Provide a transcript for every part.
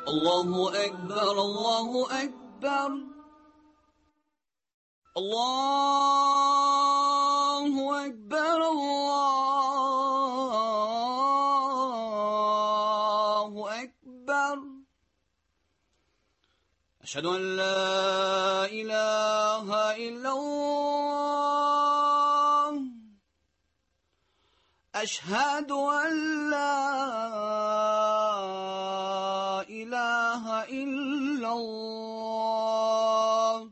الله أكبر الله أكبر الله أكبر الله أكبر أشهد أن لا إله إلا الله أشهد أن لا إله إلا الله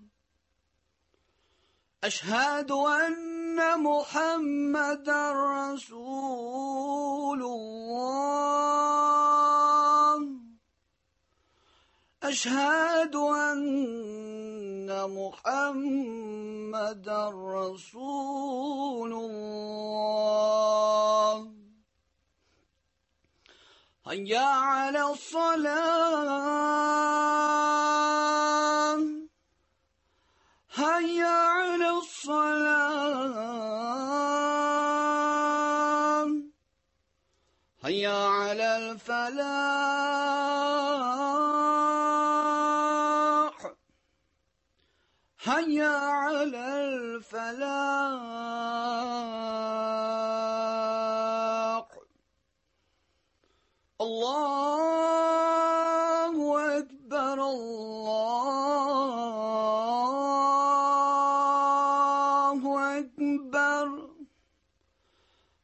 أشهد أن محمدا رسول الله أشهد أن محمدا رسول الله هيا على الصلاة هيا على الصلاة هيا على الفلاح هيا على الفلاح الله أكبر الله أكبر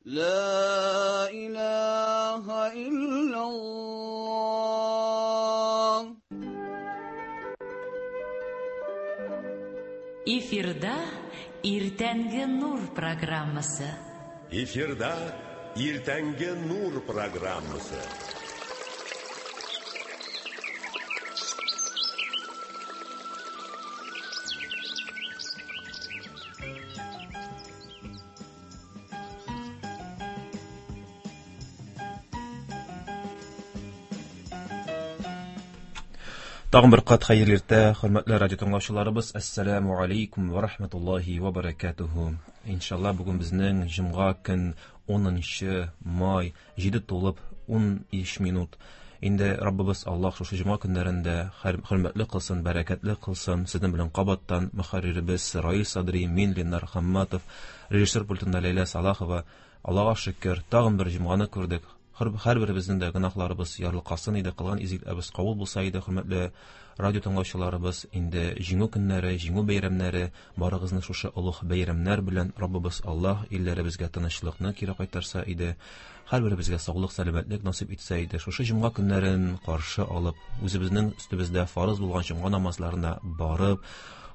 لا إله إلا الله. Эфирда Иртәнге Нур программасы. Эфирда Иртәнге Нур программасы. Тагын бер кат хәерле иртә, хөрмәтле радио тыңлаучыларыбыз. Ассаламу алейкум ва рахматуллахи ва баракатуху. Иншалла бүген безнең җомга көн 10 май 7 тулып 13 минут. Инде Раббыбыз Аллаһ шушы җомга көннәрендә хөрмәтле кылсын, бәрәкәтле кылсын. Сезнең белән кабаттан мөхәрриребез Раил Садри, мин Ленар Хамматов, режиссер пультында Ләйлә Салахова. Аллаһка шөкер, тагын бер җомганы күрдек. Һәр беребезнең дә гөнаһларыбыз ярлыкасын иде, кылган изгелекләребез кабул булса иде, хөрмәтле радио тыңлаучыларыбыз, инде җиңү көннәре, җиңү бәйрәмнәре, барыгызны шушы олуг бәйрәмнәр белән Раббыбыз Аллаһ илләребезгә тынычлыкны кире кайтарса иде, һәр беребезгә саулык, сәламәтлек насыйп итсә иде. Шушы җомга көннәрен каршы алып, үзебезнең өстебездә фарыз булган җомга намазларына барып,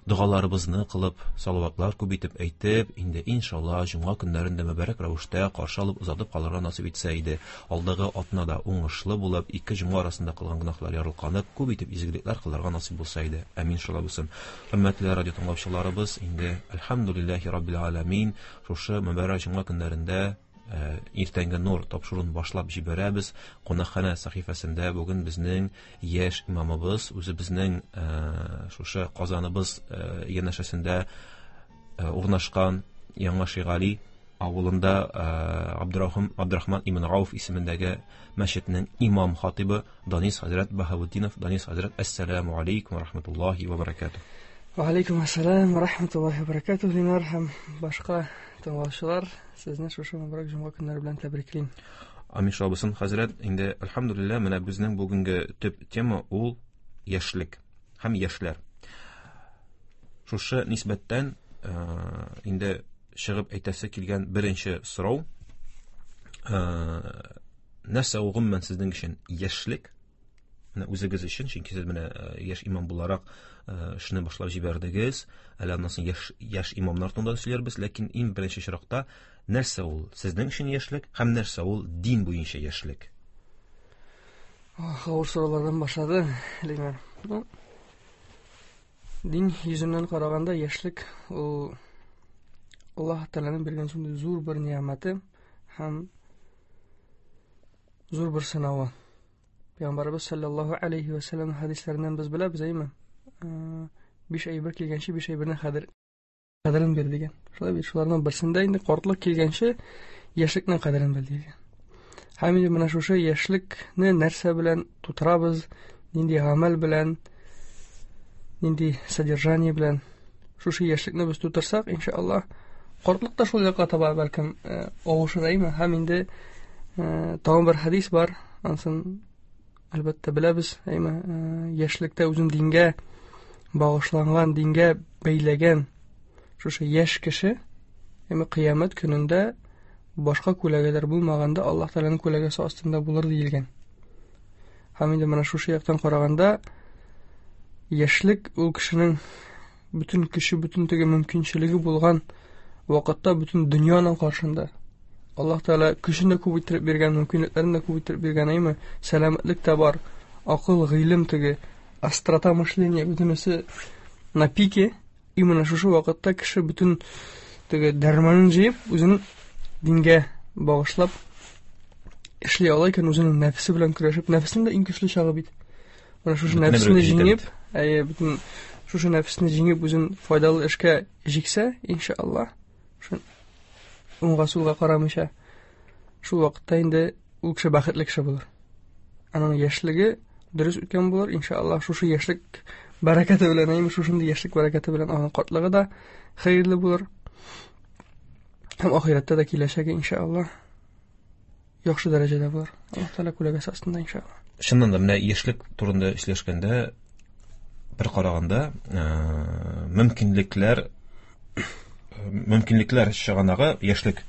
догаларыбызны кылып, салаватлар күп итеп әйтеп, инде иншалла җомга көннәрен дә мөбарәк рәвештә каршы алып озатып калырга насыйп итсә иде. Алдагы атнада уңышлы булып, ике җомга арасында кылган гөнаһлар ярылканып, күп итеп изгелекләр кылырга насыйп булса иде. Амин, шулай булсын. Хөрмәтле радио тыңлаучыларыбыз, инде әлхәмдүлилләһи раббил аламин, шушы мөбарәк җомга көннәрендә Иртәнге Нур тапшыруын башлап җибәрәбез. Кунакханә сәхифәсендә бүген безнең яшь имамыбыз, үзебезнең шушы Казаныбыз янәшәсендә урнашкан Яңа Шигали авылында Абдурахман ибн Ауф исемендәге мәчетнең имам хатибы Данис хәзрәт Баһаутдинов. Данис хәзрәт, ассаламу алейкум ва рахматуллахи ва баракатух. Ва алейкум ассалам ва рахматуллахи ва баракатух. Ленар һәм башка тыңлаучылар, сезне шушы мөбарәк җомга көннәре белән тәбриклим. Амин, шулай булсын, хәзрәт. Инде әлхәмдүлилләһ, менә безнең бүгенге төп тема ул яшьлек һәм яшьләр. Шушы нисбәттән инде чыгып әйтәсе килгән беренче сорау, нәрсә ул гомумән сезнең өчен яшьлек? Менә үзегез өчен, чөнки сез менә яшь имам буларак эшне башлап җибәрдегез, әле аннан соң яшь имамнар турында сөйләрбез, ләкин иң беренче чиракта нәрсә ул сезнең өчен яшьлек һәм нәрсә ул дин буенча яшьлек? Ох, авыр сораулардан башлады, Ленар. Ну, дин йөзеннән караганда яшьлек ул Аллаһ Тәгаләнең биргән шундый зур бер ниәмәте һәм зур бер сынавы. Пәйгамбәребез саллаллаһу алейхи ва саллям хәдисләреннән без беләбез, әйме? 5 әйбер килгәнче 5 әйбернең кадерен бир дигән. Шулай бит, шуларның берсендә инде картлык килгәнче яшьлекнең кадерен бел дигән. Һәм инде менә шушы яшьлекне нәрсә белән тутырабыз, Нинди гамәл белән, нинди содержание белән шушы яшьлекне без тутырсак, иншаллаһ, картлык та шул якка таба бәлкем авышыр, әйме? Һәм инде тагын бер хәдис бар, ансын әлбәттә беләбез, әйме? Яшьлектә үзен дингә багышланган, дингә бәйләгән шушы яшь кеше, әйме, кыямәт көнендә башка күләгәләр булмаганда Аллаһ Тәгаләнең күләгәсе астында булыр диелгән. Һәм инде менә шушы яктан караганда яшьлек ул кешенең бөтен көче, бөтен теге мөмкинчелеге булган вакытта бөтен дөньяның каршында. Аллаһ Тәгалә көчен дә күп иттереп биргән, мөмкинлекләрен дә күп иттереп биргән, әйме? Сәламәтлек тә бар, акыл, гыйлем теге, острота мышления бөтенесе на пике. Именно шушы вакытта кеше бөтен теге дәрманын җыеп, үзен дингә багышлап эшли ала икән, үзенең нәфесе белән көрәшеп, нәфесенең дә иң көчле чагы бит. Менә шушы нәфесне җиңеп, әйе, бөтен шушы нәфесне җиңеп, үзен файдалы эшкә җиксә, иншаллаһ, шул уңга сулга карамыйча, шул вакытта инде ул кеше бәхетле кеше булыр. Аның яшьлеге дөрес үткән булыр, иншаллаһ, шушы яшьлек бәрәкәте белән, әйме, шушындый яшьлек бәрәкәте белән аның картлыгы да хәерле булыр. Һәм ахирәттә дә киләчәге, иншаллаһ, яхшы дәрәҗәдә булыр. Аллаһ Тәгалә күләгәсе астында, иншаллаһ. Чыннан да, менә яшьлек турында сөйләшкәндә, бер караганда, мөмкинлекләр чыганагы яшьлек.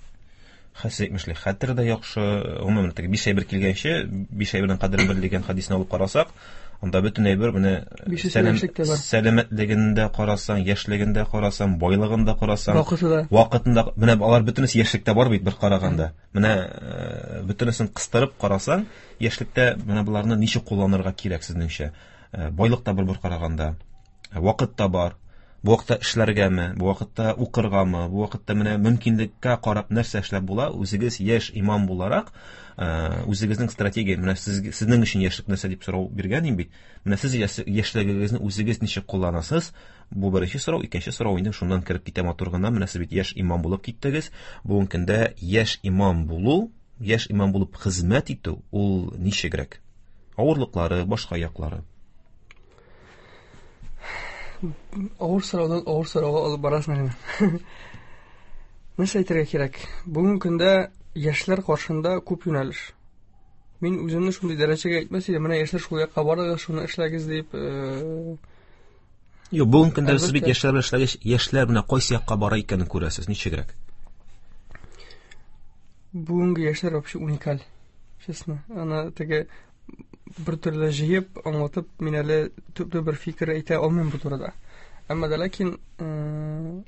Хәсән әйтмешли, хәтер дә яхшы, гомумән теге биш әйбер килгәнче, биш әйбернең кадерен бел дигән хәдисне алып карасак, анда бөтен әйбер менә сәламәтлеген дә карасаң, яшьлеген дә карасаң, байлыгын да карасаң, вакыты да, вакытында, менә алар бөтенесе яшьлектә бар бит бер караганда. Менә бөтенесен кыстырып карасаң, яшьлектә менә боларны ничек кулланырга кирәк сезнеңчә? Байлык та бар бер караганда, вакыт та бар. Бу вакытта эшләргәме, бу вакытта укыргамы, бу вакытта менә мөмкинлеккә карап нәрсә эшләп була? Үзегез яшь имам буларак, үзегезнең стратегия, менә сезнең өчен яшьлек нәрсә дип сорау биргән идем бит. Менә сез яшьлегегезне үзегез ничек кулланасыз? Бу беренче сорау, икенче сорау инде шуннан кереп китә матур гына. Менә сез бит яшь имам булып киттегез. Бүгенге көндә яшь имам булу, яшь имам булып хезмәт итү ул ничегрәк? Авырлыклары, башка яклары. Авыр сораудан авыр сорауга алып барасың әле. Нәрсә әйтергә кирәк? Бүгенге көндә яшьләр каршында күп юнәлеш. Мин үземне шундый дәрәҗәгә әйтмәс идем, менә яшьләр шул якка барыгыз, шуны эшләгез дип. Юк, бүгенге көндә сез бит яшьләр белән эшләгәч, яшьләр менә кайсы якка бара икәнен күрәсез, ничегрәк? Бүгенге яшьләр вообще уникаль, честно. Аны теге бер төрле җыеп, аңлатып, мин әле төпле бер фикер әйтә алмыйм бу турыда. Әмма дә ләкин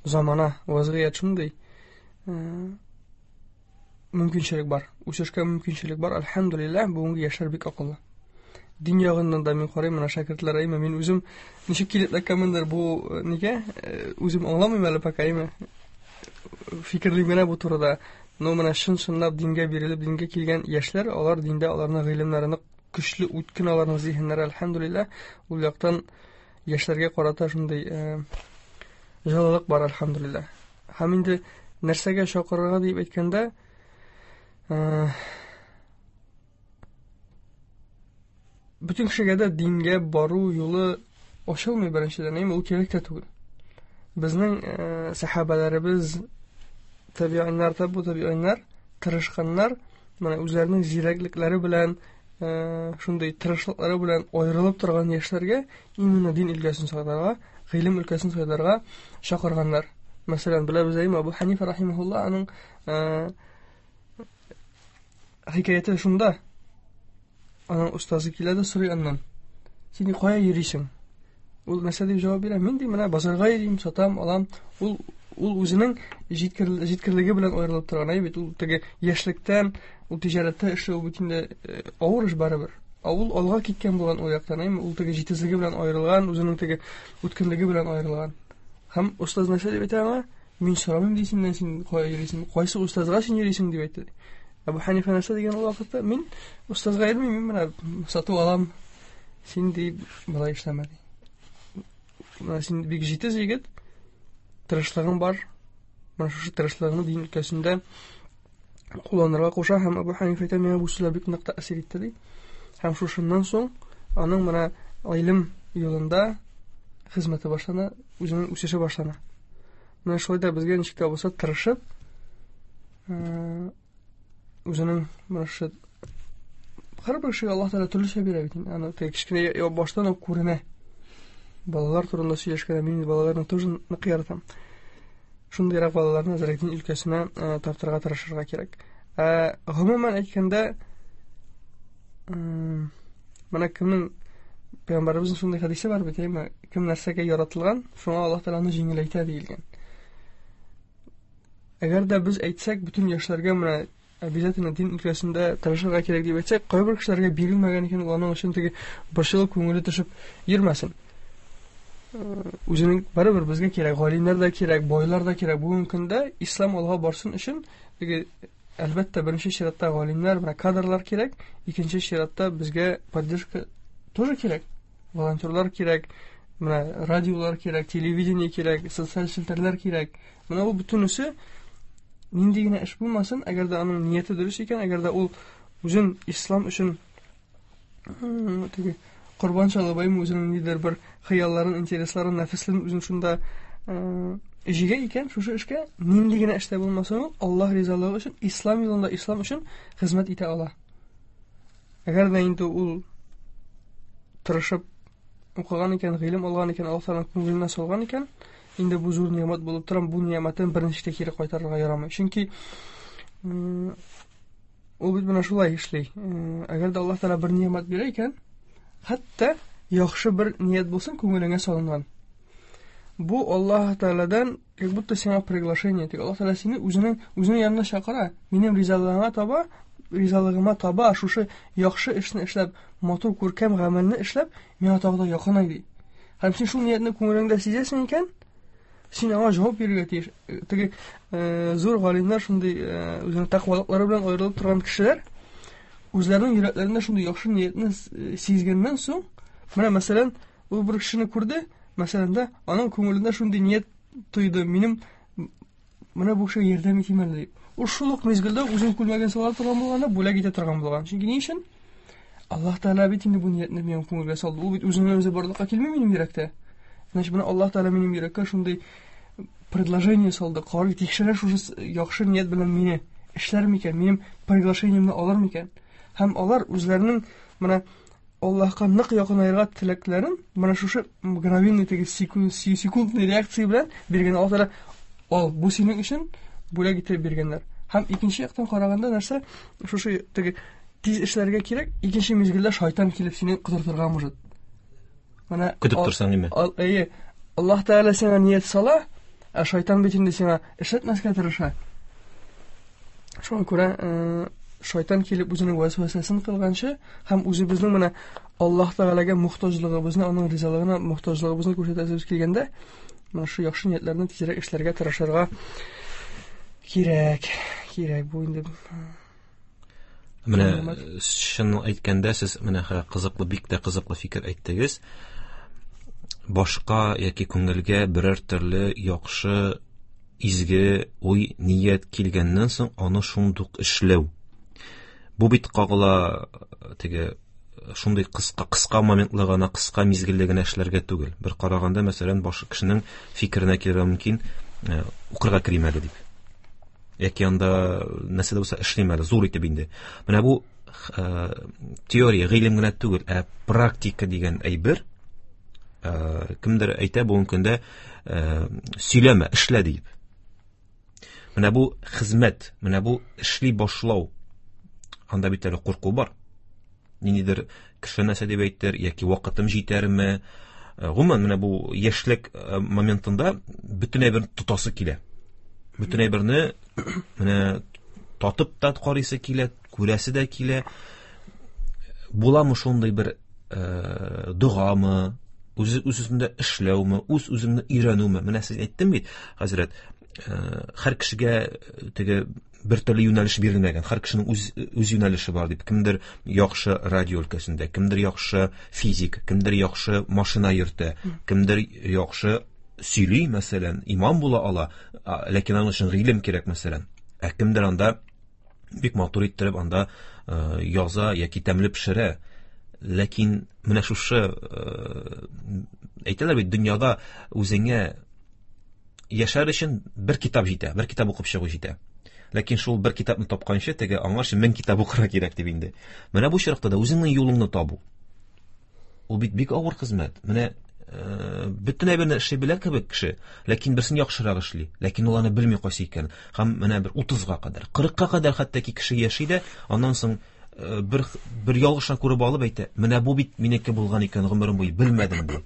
замана, вазгыять шундый, мөмкинчелек бар, үсешкә мөмкинчелек бар. Әлхәмдүлилләһ, бүгенге яшьләр бик акыллы. Дин ягыннан да мин карыйм, менә шәкертләр, әйме, мин үзем ничек килеп эләккәнмендер бу нигә, үзем аңламыйм әле пока, әйме, фикерлим генә бу турыда. Но менә чын-чынлап дингә бирелеп, дингә килгән яшьләр, алар диндә, аларның гыйлемнәре нык көчле, үткен аларның зиһеннәре, әлхәмдүлилләһ, ул яктан яшьләргә карата шундый җылылык бар, әлхәмдүлилләһ. Һәм инде нәрсәгә чакырырга дип әйткәндә, бөтен кешегә дә дингә бару юлы ачылмый беренчедән, әйме, ул кирәк тә түгел. Безнең сәхабәләребез, табииннар, табу табииннар тырышканнар, менә үзләренең зирәклекләре белән, шундый тырышлыклары белән аерылып торган яшьләргә именно дин өлкәсен сайларга, гыйлем өлкәсен сайларга чакырганнар. Мәсәлән, беләбез, әйме, Абу Ханифа рахимахулла, аның хикәяте шунда. Аның остазы килә дә сорый аннан: "Син кая йөрисең?" Ул нәрсә дип җавап бирә? Мин ди, менә базарга йөрим, сатам, алам. Ул үзенең җиткерлеге белән аерылып торган, әй бит, ул теге яшьлектән, ул тиҗарәттә эшләү бит инде авыр эш барыбер. Ә ул алга киткән булган ул яктан, әйме, ул теге җитезлеге белән аерылган, үзенең теге үткенлеге белән аерылган. Һәм остаз нәрсә дип әйтә аңа? Мин сорамыйм ди синнән, син кая йөрисең, кайсы остазга син йөрисең дип әйтте. Әбу Ханифа нәрсә дигән ул вакытта? Мин остазга йөрмим, мин менә сату алам. Син ди болай эшләмә ди. Менә син бик җитез егет, тырышлыгың бар. Менә шушы тырышлыгыңны дин өлкәсендә кулланырга куша. Һәм Әбу Ханифа әйтә, миңа бу сүзләр бик нык тәэсир итте ди. Һәм шушыннан соң аның менә гыйлем юлында хезмәте башлана, үзенең үсеше башлана. Менә шулай да безгә ничек тә булса тырышып, үзенең менә шушы һәрбер кешегә Аллаһ Тәгалә төрлечә бирә бит инде. Аны теге кечкенә баштан ук күренә. Балалар турында сөйләшкәндә мин балаларны тоже нык яратам. Шундыйрак балаларны әзрәк дин өлкәсенә тартырга тырышырга кирәк. Ә гомумән әйткәндә, менә кемнең Пәйгамбәребезнең шундый хәдисе бар бит, әйме? Кем нәрсәгә яратылган, шуңа Аллаһ Тәгалә аны җиңеләйтә диелгән. Әгәр дә без әйтсәк, бөтен яшьләргә менә обязательно дин өлкәсендә тырышырга кирәк дип әйтсәк, кайбер кешеләргә бирелмәгән икән, ул аның өчен теге борчылып күңеле төшеп йөрмәсен. Үзенең барыбер безгә кирәк, галимнәр дә кирәк, байлар да кирәк. Бүгенге көндә ислам алга барсын өчен теге әлбәттә беренче чиратта галимнәр, менә кадрлар кирәк, икенче чиратта безгә поддержка тоже кирәк. Волонтерлар кирәк, менә радиолар кирәк, телевидение кирәк, социаль челтәрләр кирәк. Менә бу бөтенесе нинди генә эш булмасын, әгәр дә аның нияте дөрес икән, әгәр дә ул үзен ислам өчен теге корбан чалып, әйме, үзенең ниндидер бер хыялларын, интересларын, нәфесләрен үзен шунда җигә икән, шушы эшкә нинди генә эштә булмасын, ул Аллаһ ризалыгы өчен, ислам юлында, ислам өчен хезмәт итә ала. Әгәр дә инде ул тырышып укыган икән, гыйлем алган икән, Аллаһ Тәгаләнең күңеленә салган икән, инде бу зур ни'мәт булып тора, бу ни'мәтен берничек тә кире кайтарырга ярамый. Чөнки ул бит менә шулай эшли. Әгәр дә Аллаһ Тәгалә бер ни'мәт бирә икән, хәтта яхшы бер ният булсын күңелеңә салынган. Бу Аллаһ Тәгаләдән как будто сиңа приглашение, тик Аллаһ Тәгалә сине үзенең үзенең янына чакыра. Минем ризалыгыңа таба, ризалыгыма таба шушы яхшы эшне эшләп, матур күркәм гамәлне эшләп, миңа тагы да якынай ди. Һәм син шул ниятне күңелеңдә сизәсең икән, син аңа җавап бирергә тиеш. Теге зур галимнәр шундый үзенең тәкъвалыклары белән аерылып торган кешеләр үзләренең йөрәкләрендә шундый яхшы ниятне сизгәннән соң, менә мәсәлән, ул бер кешене күрде, мәсәлән дә, аның күңелендә шундый ният тойды, минем менә бу кешегә ярдәм итим әле дип. Ул шул ук мизгелдә үзенең күлмәген сала торган булган да, бүләк итә торган булган. Чөнки ни өчен? Аллаһ Тәгалә бит инде бу ниятне минем күңелгә салды. Ул бит үзеннән үзе барлыкка килми минем йөрәктә. Значит, менә Аллаһ Тәгалә минем йөрәккә шундый предложение салды. Карый, тикшерә шушы яхшы ният белән мине. Эшләр микән, минем приглашениемне алыр микән? Һәм алар үзләренең менә Аллаһка нык якынаерга теләкләрен менә шушы мгновенный теге секундный реакция белән биргән. Аллаһ Тәгалә ал, бу синең өчен бүләк итеп биргәннәр. Һәм икенче яктан караганда нәрсә, шушы теге тиз эшләргә кирәк, икенче мизгелдә шайтан килеп сине котыртырга может. Менә көтеп торсаң име? Әйе, Аллаһ Тәгалә сиңа ният сала, ә шайтан бит инде сиңа эшләтмәскә тырыша. Шуңа күрә шайтан килеп үзенең вәсвәсәсен кылганчы һәм үзебезнең менә Аллаһ Тәгаләгә мохтаҗлыгыбызны, аның ризалыгына мохтаҗлыгыбызны күрсәтәсебез килгәндә, менә шу яхшы ниятләрне тизрәк эшләргә тырышырга кирәк. Кирәк бу инде. Менә чын әйткәндә, сез менә кызыклы, бик тә кызыклы фикер әйттегез. Башка яки күңелгә берәр төрле яхшы изге уй, ният килгәннән соң аны шундук эшләү. Бу бит кагыла теге шундый кыска кыска моментлы гына, кыска мизгелле генә эшләргә түгел. Бер караганда, мәсәлән, башка кешенең фикеренә килергә мөмкин, укырга керим әле дип. Яки анда нәрсә дә булса эшлим әле, зур итеп инде. Менә бу теория, гыйлем генә түгел, ә практика дигән әйбер. Кемдер әйтә бүгенге көндә, сөйләмә, эшлә дип. Менә бу хезмәт, менә бу эшли башлау. Анда бит әле курку бар. Ниндидер кеше нәрсә дип әйтер, яки вакытым җитәрме? Гомумән, менә бу яшьлек моментында бөтен әйберне тотасы килә. Бөтен әйберне менә татып та карыйсы килә, күрәсе дә килә. Буламы шундый бер догамы, үз үзендә эшләүме, үз үзеңне өйрәнүме? Менә сез әйттем бит, хәзрәт, һәр кешегә теге бер төрле юнәлеш бирелмәгән, һәр кешенең үз юнәлеше бар дип. Кемдер яхшы радио өлкәсендә, кемдер яхшы физик, кемдер яхшы машина йөртә, кемдер яхшы сөйли, мәсәлән, имам була ала, ләкин аның өчен гыйлем кирәк, мәсәлән. Ә кемдер анда бик матур иттереп анда яза яки тәмле пешерә. Ләкин менә шушы әйтәләр бит, дөньяда үзеңә яшәр өчен бер китап җитә, бер китап укып чыгу җитә. Ләкин шул бер китапны тапканчы, теге аңарчы 1000 китап укырга кирәк дип инде. Менә бу очракта да үзеңнең юлыңны табу. Ул бит бик авыр хезмәт. Менә бөтен әйберне эшли белә кебек кеше, ләкин берсен яхшырак эшли, ләкин ул аны белми кайсы икәнен. Һәм менә бер 30-га кадәр, 40-ка кадәр хәтта ки кеше яши дә, аннан соң бер ялгышны күреп алып әйтә, менә бу бит минеке булган икән, гомерем буе белмәдем ди.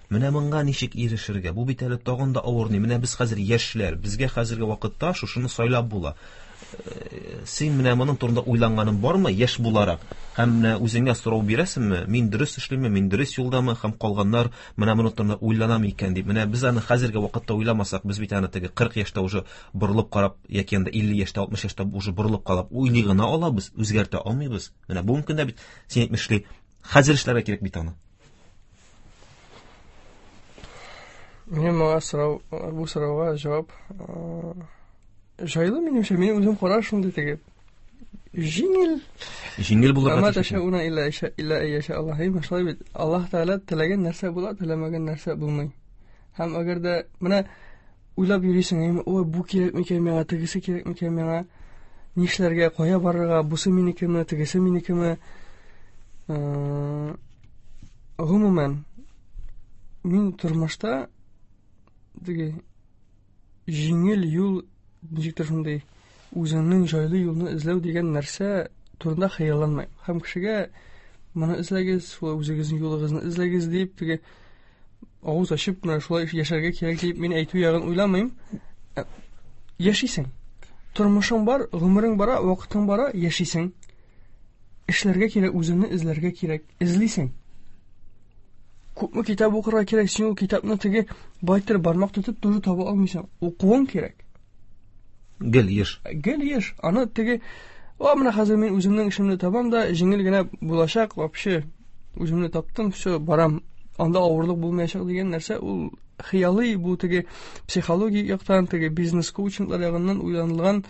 Менә моңа ничек ирешергә? Бу бит әле тагын да авыр ни. Менә без хәзер яшьләр, безгә хәзерге вакытта шушыны сайлап була. Син менә моның турында уйланганың бармы, яшь буларак? Һәм менә үзеңә сорау бирәсеңме? Мин дөрес эшлимме, мин дөрес юлдамы? Һәм калганнар менә моның турында уйланамы икән дип. Менә без аны хәзерге вакытта уйламасак, без бит аны теге 40 яшьтә уже борылып карап, яки анда 50 яшьтә, 60 яшьтә уже борылып карап уйлый гына алабыз, үзгәртә алмыйбыз. Менә бүгенге көндә бит син әйтмешли, хәзер эшләргә кирәк бит аны. Минем моңа сорау, бу сорауга җавап җайлы минемчә, минем үзем караш шундый теге җиңел. Җиңел булырга Ама тәшәүнә илля илля яшә Аллаһ. Шулай бит. Аллаһ Тәгалә теләгән нәрсә була, теләмәгән нәрсә булмый. Һәм әгәр дә менә уйлап йөрисең, әйме, ой, бу кирәк микән миңа, тегесе кирәк микән миңа, нишләргә, кая барырга, бусы минекеме, тегесе минекеме? Гомумән, мин тормышта теге җиңел юл, ничектер шундый үзеңнең җайлы юлны эзләү дигән нәрсә турында хыялланмыйм. Һәм кешегә моны эзләгез, шулай үзегезнең юлыгызны эзләгез дип, теге авыз ачып, менә шулай яшәргә кирәк дип мин әйтү ягын уйламыйм. Яшисең. Тормышың бар, гомерең бара, вакытың бара, яшисең. Эшләргә кирәк, үзеңне эзләргә кирәк. Эзлисең. Күпме китап укырга кирәк, син ул китапны теге байтыр бармак тотып тоже таба алмыйсың. Укуың кирәк. Гел еш. Гел еш. Аны теге, о, менә хәзер мин үземнең эшемне табам да, җиңел генә булачак, вообще үземне таптым, все, барам. Анда авырлык булмаячак дигән нәрсә ул хыялый, бу теге психологик яктан, теге бизнес коучинглар ягыннан уйланылган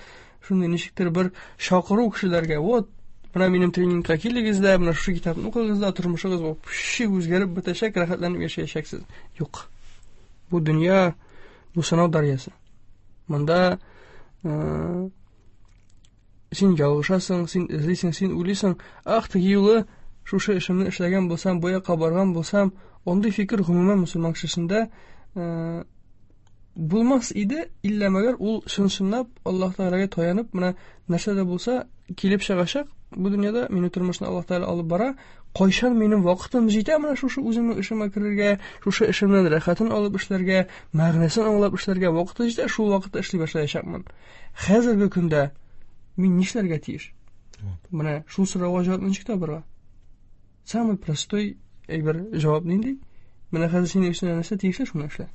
шундый ничектер бер чакыру кешеләргә. Вот, менә минем тренингка килегез дә, менә шушы китапны укыгыз да, тормышыгыз вообще үзгәреп бетәчәк, рәхәтләнеп яшәячәксез. Юк. Бу дөнья, бу сынау дәрьясы. Монда син ялгышасың, син эзлисең, син уйлыйсың, ах, теге юлы шушы эшемне эшләгән булсам, бу якка барган булсам, андый фикер гомумән мөселман кешесендә булмас иде, иллә мәгәр ул чын-чынлап Аллаһ Тәгаләгә таянып, менә нәрсә дә булса килеп чыгачак бу дөньяда, мине тормышны Аллаһ Тәгалә алып бара, кайчан минем вакытым җитә менә шушы үземнең эшемә керергә, шушы эшемнән рәхәтен алып эшләргә, мәгънәсен аңлап эшләргә вакыты җитә, шул вакытта эшли башлаячакмын. Хәзерге көндә мин нишләргә тиеш? Менә шул сорауга җавапны ничек табырга? Самый простой әйбер җавап нинди? Менә хәзер синең өстеңә нәрсә тиешле, шуны эшлә.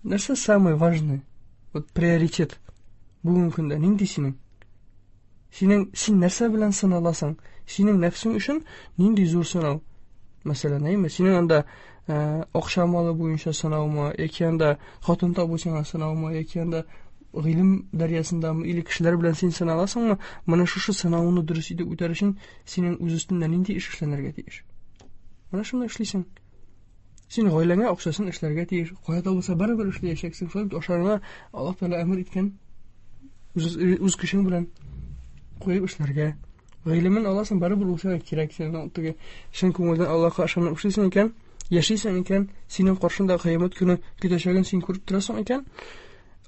Нәрсә самый важный? Вот приоритет бүгенге көндә нинди синең? Синең, син нәрсә белән сыналасың? Синең нәфсең өчен нинди зур сынау? Мәсәлән, әйме, синең анда акча малы буенча сынаумы, яки анда хатын табу сиңа сынаумы, яки анда гыйлем дәрьясындамы, или кешеләр белән син сыналасыңмы? Менә шушы сынауны дөрес итеп үтәр өчен синең үз өстеңдә нинди эш эшләнергә тиеш? Менә шуны эшлисең. Син гаиләңә акчасын эшләргә тиеш. Кая да булса барыбер эшләячәксең. Шулай бит ашарыңа Аллаһ Тәгалә әмер иткән. Үз көчең белән куеп эшләргә. Гыйлемен аласың, барыбер ул сиңа кирәк. Син теге чын күңелдән Аллаһка ышанып эшлисең икән, яшисең икән, синең каршында кыямәт көне көтәчәген син күреп торасың икән,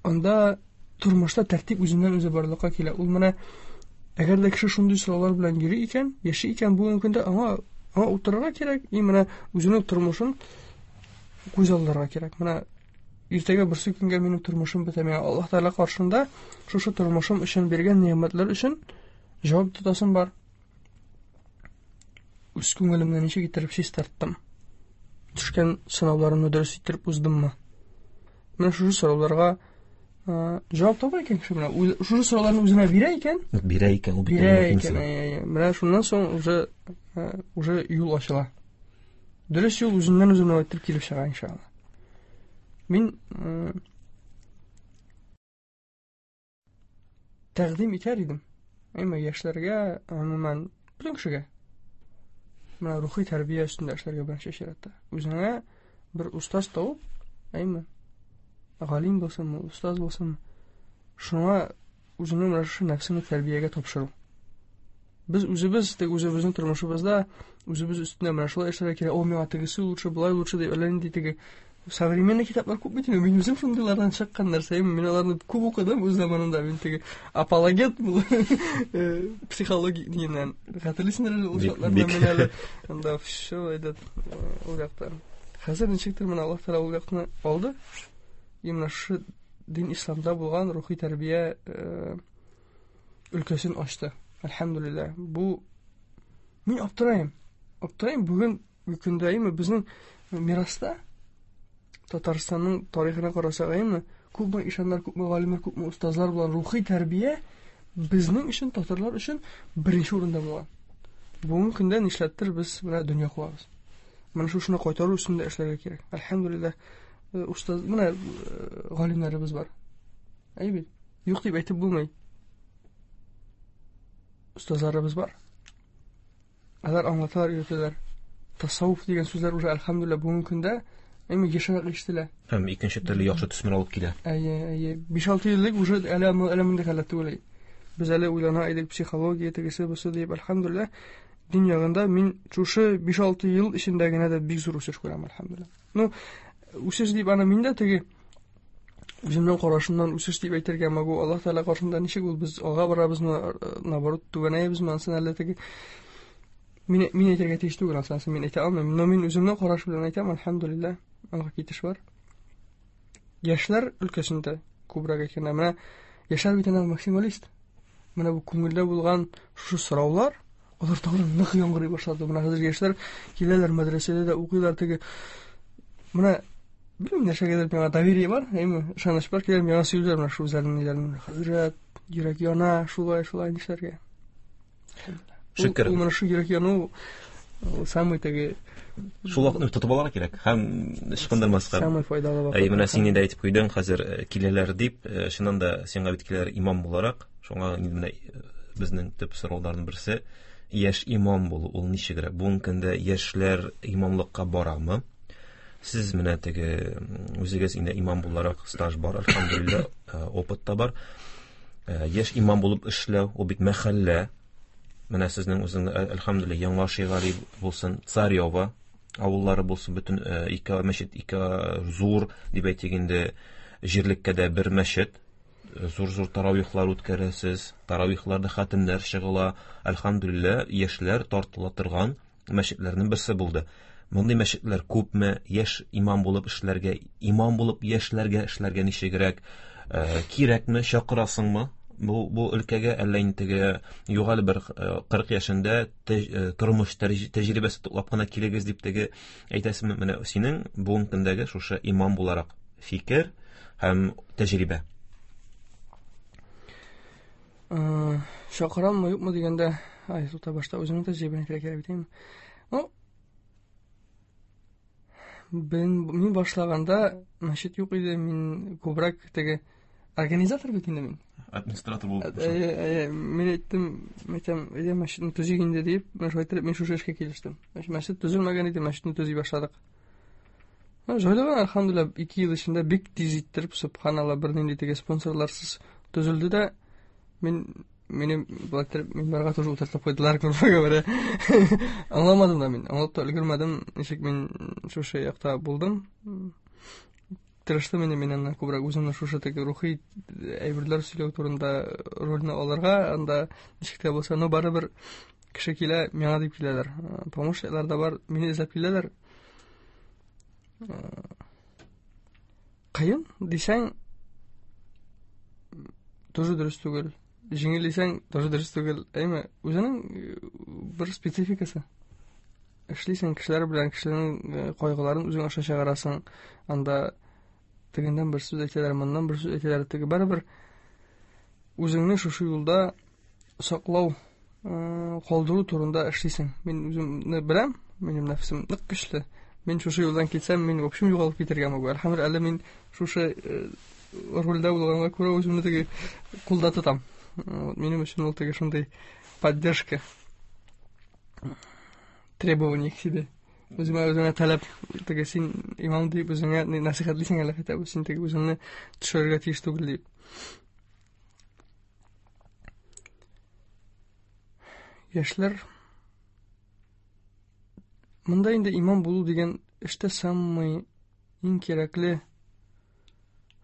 анда тормышта тәртип үзеннән үзе барлыкка килә. Ул менә әгәр дә кеше шундый сораулар белән йөри икән, яши икән, бүгенге көндә аңа утырырга кирәк, и менә үзенең тормышын күз алдырырга кирәк. Менә иртәгә берсе көнгә минем тормышым бетә, миңа Аллаһ Тәгалә каршында шушы тормышым өчен биргән нигъмәтләр өчен җавап тотасым бар. Үз күңелемне ничек иттереп чистарттым? Төшкән сынауларымны дөрес иттереп уздыммы? Менә шушы сорауларга җавап таба икән кеше, менә шушы сорауларны үзенә бирә икән. Бирә икән, ул бит бирә икән. Менә шуннан соң уже юл ачыла. Дөрес юл үзеннән үзе менә иттереп килеп чыга иншалла. Мин тәкъдим итәр идем. Әмма яшьләргә, гомумән, бөтен кешегә. Менә рухи тәрбия өстендә эшләргә беренче чиратта. Үзеңә бер устаз табып, әйме? Галим булсынмы, устаз булсынмы, шуңа үзеңнең менә шушы нәфсеңне тәрбиягә тапшыру. Без үзебез тик үзебезнең тормышыбызда үзебез өстендә менә шулай эшләргә кирәк, о, миңа тегесе лучше, болай лучше дип, әллә нинди теге современный китаплар күп бит инде. Мин үзем шундыйлардан чыккан нәрсә, мин аларны күп укыдым үз заманында. Мин теге апологет бул психология дигәннән. Хәтерлисеңдер әле ул чакларны, мин әле анда все этот ул якта. Хәзер ничектер менә Аллаһ Тәгалә ул якны алды. И менә шушы дин исламда булган рухи тәрбия өлкәсен ачты. Әлхәмдүлилләһ. Бу мин аптырайым. Аптырайым бүген көндә әйме безнең мираста Татарстанның тарихына карасак әйме, күпме ишаннар, күпме галимнәр, күпме остазлар булган рухи тәрбия безнең өчен, татарлар өчен беренче урында булган. Бүгенге көндә нишләптер без менә дөнья куабыз. Менә шушыны кайтару өстендә эшләргә кирәк. Әлхәмдүлилләһ, остаз, менә галимнәребез бар. Әй бит, юк дип әйтеп булмый. Остазларыбыз бар. Алар аңлаталар, өйрәтәләр. Тасаввуф дигән сүзләр уже әлхәмдүлилләһ бүгенге көндә әйме ешрак ишетелә. Һәм икенче төрле яхшы төсмер алып килә. Әйе, әйе. 5-6 ел элек уже әле әле мондый халәт түгел. Без әле уйлана идек, психология тегесе бусы дип, әлхәмдүлилләһ, дин ягында мин шушы 5-6 ел эчендә генә дә бик зур үсеш күрәм, әлхәмдүлилләһ. Ну, үсеш дип аны мин дә теге үземнең карашымнан үсеш дип әйтергә могу. Аллаһ Тәгалә каршында ничек ул без алга барабызмы, наоборот, түбәнәебезме, ансын әле теге мин әйтергә тиеш түгел, ансын мин әйтә алмыйм. Но мин үземнең караш белән әйтәм, әлхәмдүлилләһ, алга китеш бар. Яшьләр өлкәсендә күбрәк әйткәндә, менә яшьләр бит инде максималист. Менә бу күңелдә булган шушы сораулар, алар тагын нык яңгырый башлады. Менә хәзер яшьләр киләләр, мәдрәсәдә дә укыйлар теге. Менә белмим, нәрсәгәдер миңа доверие бар, әйме, ышаныч бар, киләләр миңа сөйлиләр менә шул үзләренең ниләрен. Хәзрәт, йөрәк яна, шулай, шулай нишләргә? Шөкер. Ул менә шул йөрәк яну, ул самый теге шул вакытны тотып алырга кирәк һәм ычкындырмаска. Самый файдалы вакыт. Әй, менә син инде әйтеп куйдың, хәзер киләләр дип, чыннан да сиңа бит киләләр имам буларак. Шуңа инде менә безнең төп сорауларның берсе, яшь имам булу ул ничегрәк? Бүгенге көндә яшьләр имамлыкка барамы? Сез менә теге үзегез инде имам буларак стаж бар, әлхәмдүлилләһ, опыт та бар. Яшь имам булып эшләү, ул бит мәхәллә. Менә сезнең үзеңне, әлхәмдүлилләһ, Яңа Шигали булсын, Царево авыллары булсын, бөтен ике мәчет, ике зур дип әйтик инде, җирлеккә дә бер мәчет. Зур-зур таравихлар үткәрәсез, таравихларда хатимнәр чыгыла. Әлхәмдүлилләһ, яшьләр тартыла торган мәчетләрнең берсе булды. Мондый мәчетләр күпме? Яшь имам булып эшләргә, имам булып яшьләргә эшләргә ничегрәк? Кирәкме, чакырасыңмы бу өлкәгә, әллә инде теге югалы бер 40 яшендә тормыш тәҗрибәсе туплап кына килегез дип теге әйтәсеңме? Менә синең бүгенге көндәге шушы имам буларак фикер һәм тәҗрибә. Чакыраммы, юкмы дигәндә, ай, тута башта үземнең тәҗрибәне кирәк бит инде. Ну, мин башлаганда мәчет юк иде, мин күбрәк теге организатор бит инде мин. Администратор булып. Әйе, мин әйттем, әйтәм, әйдә мәчетне төзик инде дип, менә шулай итеп мин шушы эшкә килештем. Мәчет төзелмәгән иде, мәчетне төзи башладык. Җайлы гына, әлхәмдүлилләһ, 2 ел эчендә бик тиз иттереп, субханалла, бернинди теге спонсорларсыз төзелде дә, мине болай иттереп минбарга тоже утыртып куйдылар, грубо говоря. Аңламадым да мин, аңлап та өлгермәдем, ничек мин шушы якта булдым. Тырыштым инде мин аннан күбрәк үземне шушы теге рухи әйберләр сөйләү турында рольне алырга, анда ничек тә булса, но барыбер кеше килә, миңа дип киләләр. Помощниклар да бар, мине эзләп киләләр. Кыен дисәң, тоже дөрес түгел. Җиңел дисәң, тоже дөрес түгел. Әйме, үзенең бер спецификасы. Эшлисең кешеләр белән, кешеләрнең кайгыларын үзең аша чыгарасың. Анда тегеннән бер сүз әйтәләр, моннан бер сүз әйтәләр. Теге барыбер үзеңне шушы юлда саклау, калдыру турында эшлисең. Мин үземне беләм, минем нәфсем нык көчле. Мин шушы юлдан китсәм, мин в общем югалып китәргә мөмкин. Әлхәмдүлилләһ, әле мин шушы рольдә булганга күрә үземне теге кулда тотам. Минем өчен ул теге шундый поддержка. Требование к себе. Үземә үзеңә таләп, теге син имам дип үзеңә нәсыйхәтлисең әле хотя бы, син теге үзеңне төшерергә тиеш түгел дип. Яшьләр монда инде имам булу дигән эштә самый иң кирәкле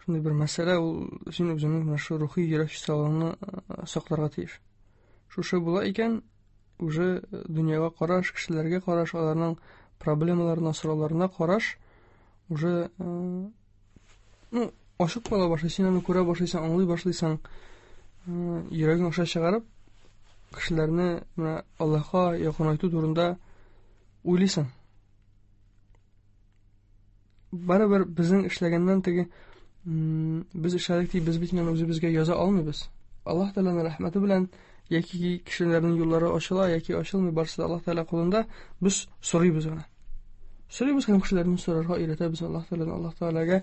шундый бер мәсьәлә ул син үзеңнең менә шу рухи йөрәк чисталыгыңны сакларга тиеш. Шушы була икән, уже дөньяга караш, кешеләргә караш, аларның проблемаларына, сорауларына караш уже ну, ачык була башлый, син аны күрә башлыйсың, аңлый башлыйсың, йөрәгең аша чыгарып, кешеләрне менә Аллаһка якынайту турында уйлыйсың. Барыбер безнең эшләгәннән теге без эшләдек дип без бит инде үзебезгә яза алмыйбыз. Аллаһ Тәгаләнең рәхмәте белән яки кешеләрнең юллары ачыла, яки ачылмый, барысы да Аллаһ Тәгалә кулында. Без сорыйбыз гына. Сорыйбыз һәм кешеләрне сорарга өйрәтәбез Аллаһ Тәгаләдән, Аллаһ Тәгаләгә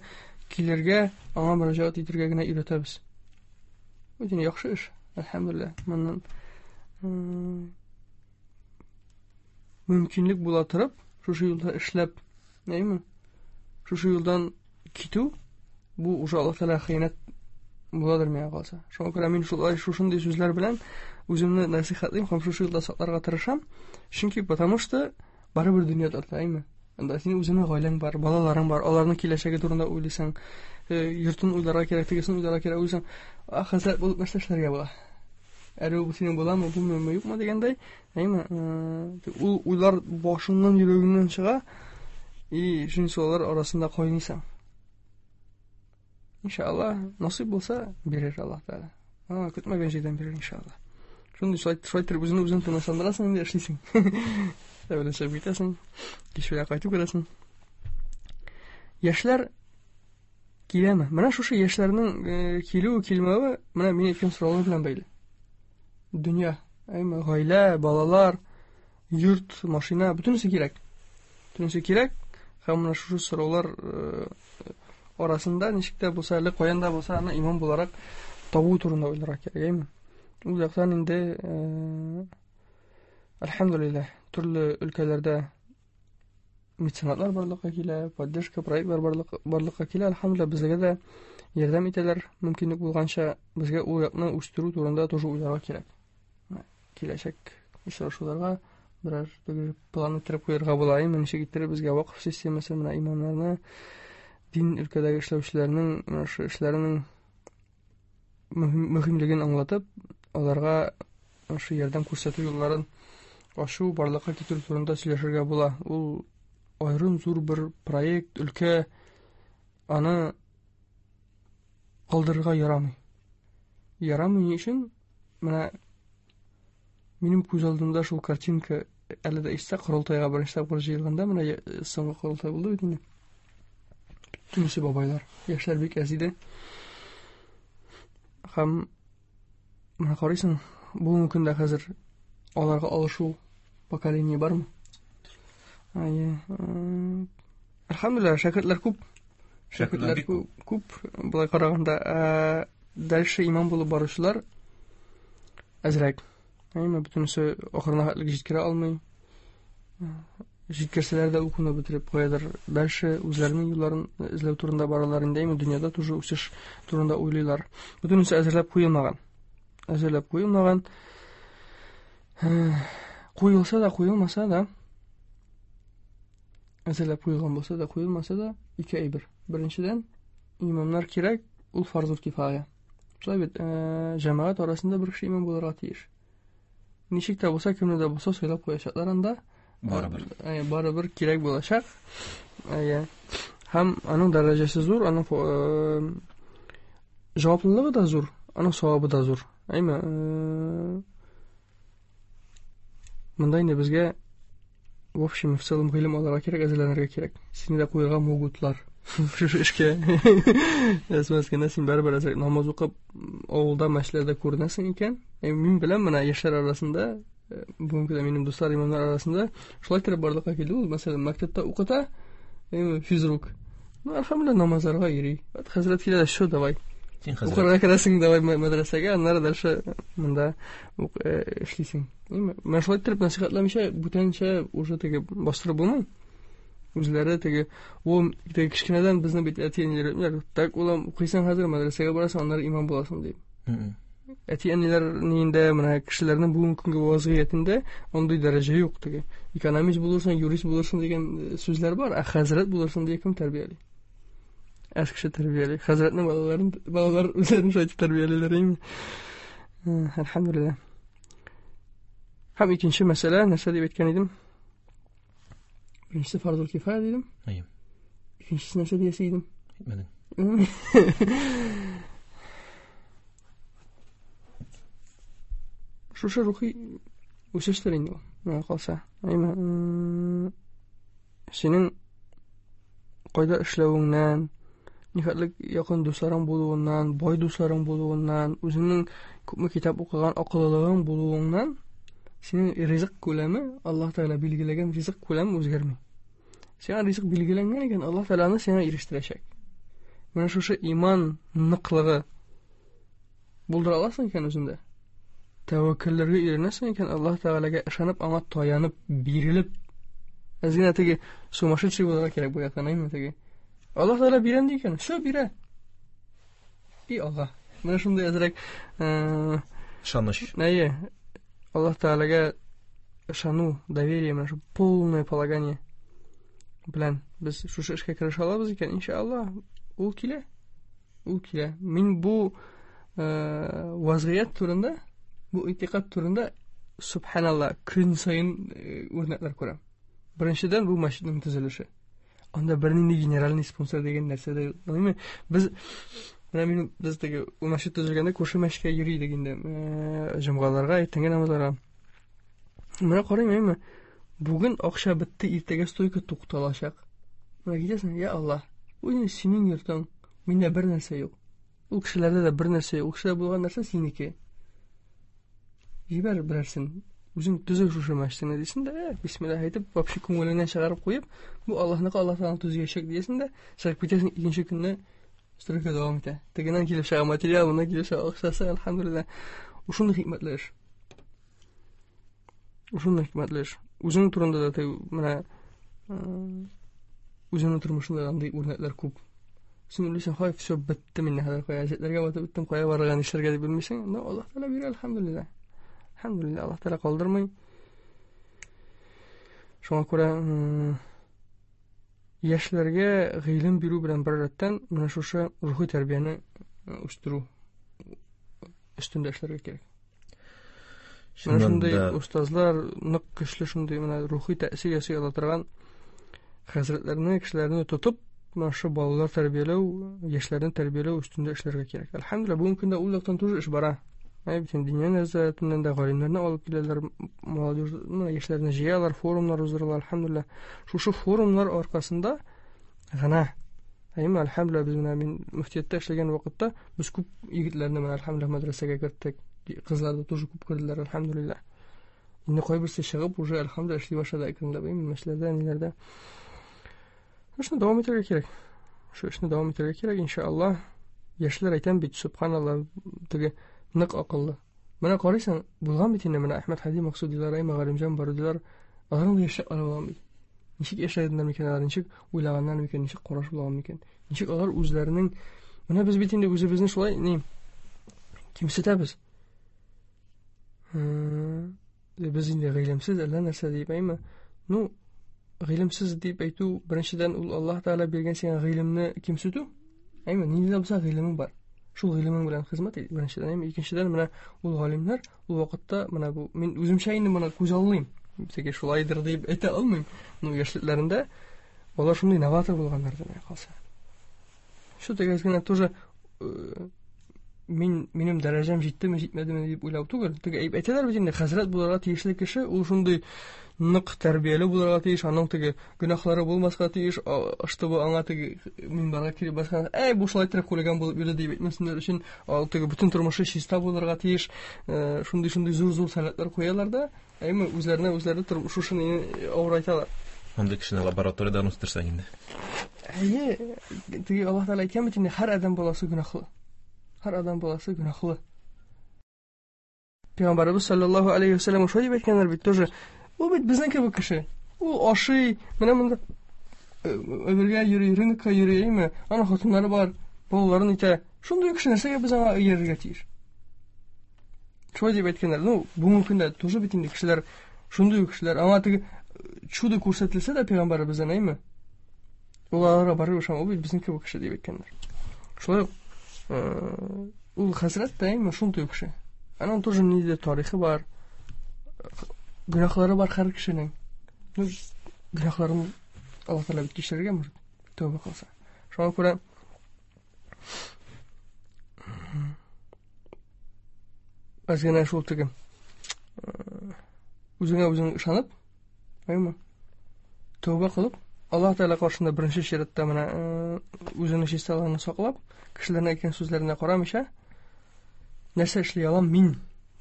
килергә, аңа мөрәҗәгать итәргә генә өйрәтәбез. Бу инде яхшы эш, әлхәмдүлилләһ. Моннан мөмкинлек була торып, шушы юлда эшләп, әйме? Шушы юлдан китү бу уже Аллаһ Тәгалә хыянәт буладыр миңа калса. Шуңа күрә мин шулай шушындый сүзләр белән үземне нәсыйхәтлим һәм шушы юлда сакларга тырышам. Чөнки потому что барыбер дөнья тарта, әйме? Анда синең үзеңнең гаиләң бар, балаларың бар, аларның киләчәге турында уйлыйсың, йортын уйларга кирәк, тегесен уйларга кирәк, уйлыйсың, хәзрәт булып нәрсә эшләргә була? Әле ул синең буламы, булмыймы, юкмы дигәндәй, әйме? Ул уйлар башыңнан, йөрәгеңнән чыга, и шуның алар арасында кайныйсың. Иншалла, насыйп булса, бирер Аллаһ Тәгалә. Көтмәгән җирдән бирер, иншалла. Шундый шулай итеп үзеңне үзең тынычландырасың инде, эшлисең. Әвәле чыгып китәсең, кич белән кайтып керәсең. Яшьләр киләме? Менә шушы яшьләрнең килү, килмәве менә мин әйткән сораулар белән бәйле. Дөнья, әйме, гаилә, балалар, йорт, машина, бөтенесе кирәк. Бөтенесе кирәк. Һәм менә шушы сораулар арасында ничек тә булса, әле каян да булса аны имам буларак табу турында уйларга кирәк, әйме? Ул яктан инде әлхәмдүлилләһ, төрле өлкәләрдә меценатлар барлыкка килә, поддержка проектлар барлыкка килә. Әлхәмдүлилләһ, безгә дә ярдәм итәләр, мөмкинлек булганча безгә ул якны үстерү турында тоже уйларга кирәк. Киләчәк очрашуларга берәр план иттереп куярга була, әйме, ничек иттереп безгә вакыф системасы, менә имамнарны, дин өлкәдәге эшләүчеләрнең менә шу эшләренең мөһимлеген аңлатып, аларга шу ярдәм күрсәтү юлларын ачу, барлыкка китерү турында сөйләшергә була. Ул аерым зур бер проект, өлкә, аны калдырырга ярамый. Ярамый ни өчен? Менә минем күз алдымда шул картинка әле дә истә, корылтайга беренче тапкыр җыелганда, менә соңгы корылтай булды бит инде. Бөтенесе бабайлар, яшьләр бик әз иде. Һәм менә карыйсың, бүгенге көндә хәзер аларга алышу поколение бармы? Әйе. Әлхәмдүлилләһ, шәкертләр күп. Шәкертләр күп. Болай караганда, дальше имам булып баручылар әзрәк. Әйме, бөтенесе ахырына хәтлек җиткерә алмый. Җиткерсәләр дә укуны бетереп куядыр. Дальше үзләренең юлларын эзләү турында баралар инде, әйме, дөньяда тоже үсеш турында уйлыйлар. Бөтенесе әзерләп куелмаган. Әзерләп куелмаган. Куелса да, куелмаса да, әзерләп куелган булса да, куелмаса да, ике әйбер. Беренчедән, имамнар кирәк, ул фарзул кифая. Шулай бит, җәмәгать арасында бер кеше имам булырга тиеш. Ничек тә булса, кемне дә булса сайлап куячаклар анда. Барыбер. Барыбер кирәк булачак. Һәм аның дәрәҗәсе зур, аның җаваплылыгы да зур, аның савабы да зур. Әйме, монда инде безгә в общем и в целом гыйлем алырга кирәк, әзерләнергә кирәк. Сине дә куярга могутлар. Шушы эшкә. Әзмәс кенә син барыбер әзрәк намаз укып авылда мәчетләрдә күренәсең икән. Мин беләм, менә яшьләр арасында, бүгенге көндә минем дуслар имамнар арасында шулай итеп барлыкка килде ул. Мәсәлән, мәктәптә укыта, физрук. Ну, әлхәмдүлилләһ, намазларга йөри. Вот хәзрәт килә, шо, давай. Син хәзрәт. Укырга керәсең давай мәдрәсәгә, аннары дальше монда эшлисең. Менә шулай иттереп нәсыйхәтләмичә, бүтәнчә уже теге бастырып булмый. Үзләре теге, ул теге кечкенәдән безне бит әти-әниләр өйрәтмиләр. Так, улым, укыйсың хәзер, мәдрәсәгә барасың, аннары имам буласың дип. Әти-әниләр ниендә, менә кешеләрнең бүгенге көнге вазгыятендә андый дәрәҗә юк теге. Экономист булырсың, юрист булырсың дигән сүзләр бар, ә хәзрәт булырсың дип кем тәрбияли? Әз кеше тәрбияли. Хәзрәтнең балаларын, балалар үзләрен шулай итеп тәрбиялиләр инде. Әлхәмдүлилләһ. Һәм икенче мәсьәлә, нәрсә дип әйткән идем? Беренчесе фарзул кифая дидем. Әйе. Икенчесе нәрсә диясе идем? Әйтмәдең. Шушы рухи үсештер инде ул, миңа калса. Әйме, синең кайда эшләвеңнән, нихәтлек якын дусларың булуыннан, бай дусларың булуыннан, үзеңнең күпме китап укыган акыллылыгың булуыңнан синең ризык күләме, Аллаһ Тәгалә билгеләгән ризык күләме үзгәрми. Сиңа ризык билгеләнгән икән, Аллаһ Тәгалә аны сиңа ирештерәчәк. Менә шушы иман ныклыгы булдыра аласың икән үзеңдә. Тәвәккәлләргә өйрәнәсең икән, Аллаһ Тәгаләгә ышанып, аңа таянып, бирелеп, әз генә теге сумасшедший булырга кирәк бу яктан, әйме теге. Аллаһ Тәгалә бирәм ди икән, все бирә. И Аллаһ. Менә шундый әзрәк ышаныч. Әйе. Аллаһ Тәгаләгә ышану, доверие, менә шу полное полагание белән без шушы эшкә керешә алабыз икән, иншаллаһ, ул килә. Ул килә. Мин бу вазгыять турында, бу итикад турында субханалла көн саен үрнәкләр күрәм. Беренчедән, бу мәчетнең төзелеше. Анда бернинди генеральный спонсор дигән нәрсә дә юк. Әйме? Без менә мин без теге ул мәчет төзелгәндә күрше мәчеткә йөри идек инде. Җомгаларга, иртәнге намазларга. Менә карыйм, әйме? Бүген акча бетте, иртәгә стойка тукталачак. Менә китәсең, я Аллаһ, бу инде синең йортың, миндә бер нәрсә юк. Ул кешеләрдә дә бер нәрсә юк. Ул кешеләрдә булган нәрсә синеке. Җибәр берәрсен. Үзең төзе шушы мәчетеңне дисең дә, бисмиллаһ әйтеп, вообще күңелеңнән чыгарып куеп, бу Аллаһныкы, Аллаһ Тәгалә төзиячәк диясең дә, чыгып китәсең, икенче көнне стройка дәвам итә. Тегеннән килеп чыга материал, моннан килеп чыга акчасы, әлхәмдүлилләһ. Шундый хикмәтле эш. Шундый хикмәтле эш. Үзең турында да теге менә үзеңнең тормышыңда андый үрнәкләр күп. Син уйлыйсың, хай, все, бетте мин хәзер кая әҗәтләргә батып беттем, кая барырга, нишләргә дип белмисең. Но Аллаһ Тәгалә бирә, әлхәмдүлилләһ. Әлхәмдүлилләһ, Аллаһ Тәгалә калдырмый. Шуңа күрә яшьләргә гыйлем бирү белән бер рәттән менә шушы рухи тәрбияне үстерү өстендә эшләргә кирәк. Менә шундый остазлар, нык көчле шундый менә рухи тәэсир ясый ала торган хәзрәтләрне, кешеләрне тотып, менә шушы балалар тәрбияләү, яшьләрне тәрбияләү өстендә эшләргә кирәк. Әлхәмдүлилләһ, бүгенге көндә ул яктан тоже эш бара. Әй, бөтен дөнья нәзарәтеннән дә галимнәрне алып киләләр, молодежь, менә яшьләрне җыялар, форумнар уздыралар, әлхәмдүлилләһ. Шушы форумнар аркасында гына Әйме, әлхәмдүлилләһ, без менә мин мөфтияттә эшләгән вакытта без күп егетләрне менә әлхәмдүлилләһ мәдрәсәгә керттек. Кызлар да тоже күп керделәр, әлхәмдүлилләһ. Инде кайберсе чыгып уже әлхәмдүлилләһ эшли башлады әкренләп, әйме, мәчләрдә, ниләрдә. Эшне дәвам итәргә кирәк. Шу эшне дәвам итәргә кирәк, иншаллаһ. Яшьләр әйтәм бит, субханаллаһ, теге нык акыллы. Менә карыйсың, булган бит инде менә Әхмәт Һади Максудилар, әйме, Галимҗан Барудилар, аларның да яшьләре булган бит. Ничек яшәгәннәр микән алар, ничек уйлаганнар микән, ничек караш булган микән? Ничек алар үзләренең Менә без бит инде үзебезне шулай ни кимсетәбез. Без инде гыйлемсез әллә нәрсә дип әйме? Ну, гыйлемсез дип әйтү беренчедән ул Аллаһ Тәгалә биргән сиңа гыйлемне кимсетү. Әйме, нинди дә булса гыйлемең бар. Шул гыйлемең белән хезмәт ит, беренчедән, әйме, икенчедән менә ул галимнәр ул вакытта менә бу мин үземчә инде моны күз аллыйм. Теге шулайдыр дип әйтә алмыйм. Ну, яшьлекләрендә алар шундый новатор булганнар дип калса. Шу теге генә тоже мин минем дәрәҗәм җиттеме, җитмәдеме дип уйлау түгел. Теге әйтәләр бит инде, хәзрәт булырга тиешле кеше ул шундый нык тәрбияле булырга тиеш, аның теге гөнаһлары булмаска тиеш, чтобы аңа теге минбарга килеп баскан, әй, бу шулай итеп хулиган булып йөрде дип әйтмәсеннәр өчен, ул теге бөтен тормышы чиста булырга тиеш, шундый-шундый зур-зур таләпләр куялар да, әйме, үзләренә үзләре шушы не авырайталар. Андый кешене лабораториядән үстерсәң инде. Әйе, теге Аллаһ Тәгалә әйткән бит инде, һәр адәм баласы гөнаһлы. Һәр адам баласы гөнаһлы. Пәйгамбәребез саллаллаһу алейхи ва сәлләм шулай дип әйткәннәр бит тоже. Ул бит безнең кебек кеше. Ул ашый, менә монда әбергә йөри, рынокка йөри, әйме? Аның хатыннары бар, балаларын итә. Шундый кеше нәрсәгә без аңа иярергә тиеш? Шулай дип әйткәннәр. Ну, бүгенге көндә тоже бит инде кешеләр шундый ук кешеләр. Аңа теге чудо күрсәтелсә дә пәйгамбәребездән, әйме? Ул аларга барып ышан, ул бит безнең кебек кеше дип әйткәннәр. Шулай ук ул хәзрәт тә әйме шундый ук кеше. Аның тоже ниндидер тарихы бар, гөнаһлары бар һәр кешенең. Ну, гөнаһларын Аллаһ Тәгалә бит кичерергә может, тәүбә кылса. Шуңа күрә әз генә шул теге үзеңә үзең ышанып, әйме? Тәүбә кылып, Аллаһ Тәгалә каршында беренче чиратта менә үзеңнең чисталыгыңны саклап, кешеләрнең әйткән сүзләренә карамыйча, нәрсә эшли алам мин